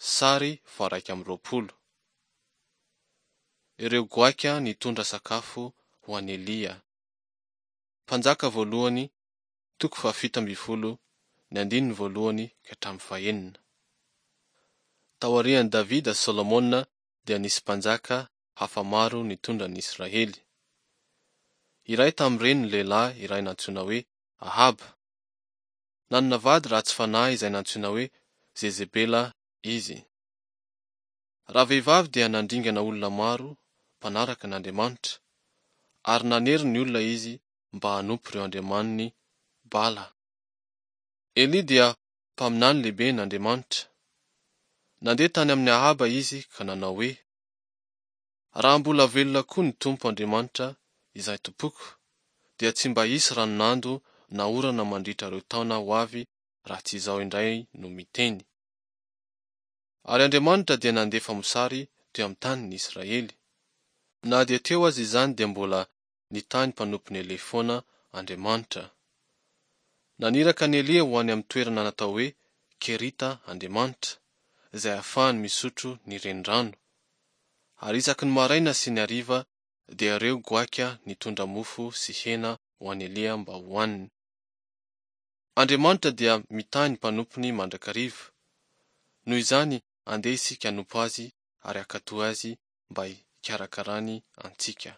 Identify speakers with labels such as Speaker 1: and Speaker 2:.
Speaker 1: Sary faha-21. Ireo goaika nitondra sakafo ho an'i Elia. Mpanjaka voalohany, toko fahafito ambin'ny folo, ny andininy voalohany ka hatramin'ny fahenina. Taorian'i Davida sy Solomona dia nisy mpanjaka hafa maro nitondra ny Israely. Iray tamin'ireny ny lehilahy iray nantsoina hoe Ahaba. Nanana vady ratsy fanahy izay nantsoina hoe Jezebela izy. Ravehivavy dia nandringana olona maro mpanaraka an'Andriamanitra, ary nanery ny olona izy mba hanompo ireo andriamaniny Bala. Elia dia mpaminany lehiben'Andriamanitra. Nandeha tany amin'i Ahaba izy ka nanao hoe, Raha mbola velona koa ny Tompo Andriamanitra izay tompoko, dia tsy mba hisy ranon'ando na orana mandritra ireo taona ho avy raha tsy izao indray no miteny. Ary Andriamanitra dia nandefa mosary teo amin'ny tanin'ny Israely. Na dia teo aza izany dia mbola nitahy ny mpanompon'i Elia foana Andriamanitra. Naniraka an'i Elia ho any amin'ny toerana natao hoe Kerita Andriamanitra, izay ahafahany misotro ny renirano. Ary isaky ny maraina sy ny hariva dia ireo goaika nitondra mofo sy hena ho an'i Elia mba hohaniny. Andriamanitra dia mitahy ny mpanompony mandrakariva. Noho izany, andeha isika hanompo Azy ary hankatò Azy mba hikarakarany antsika.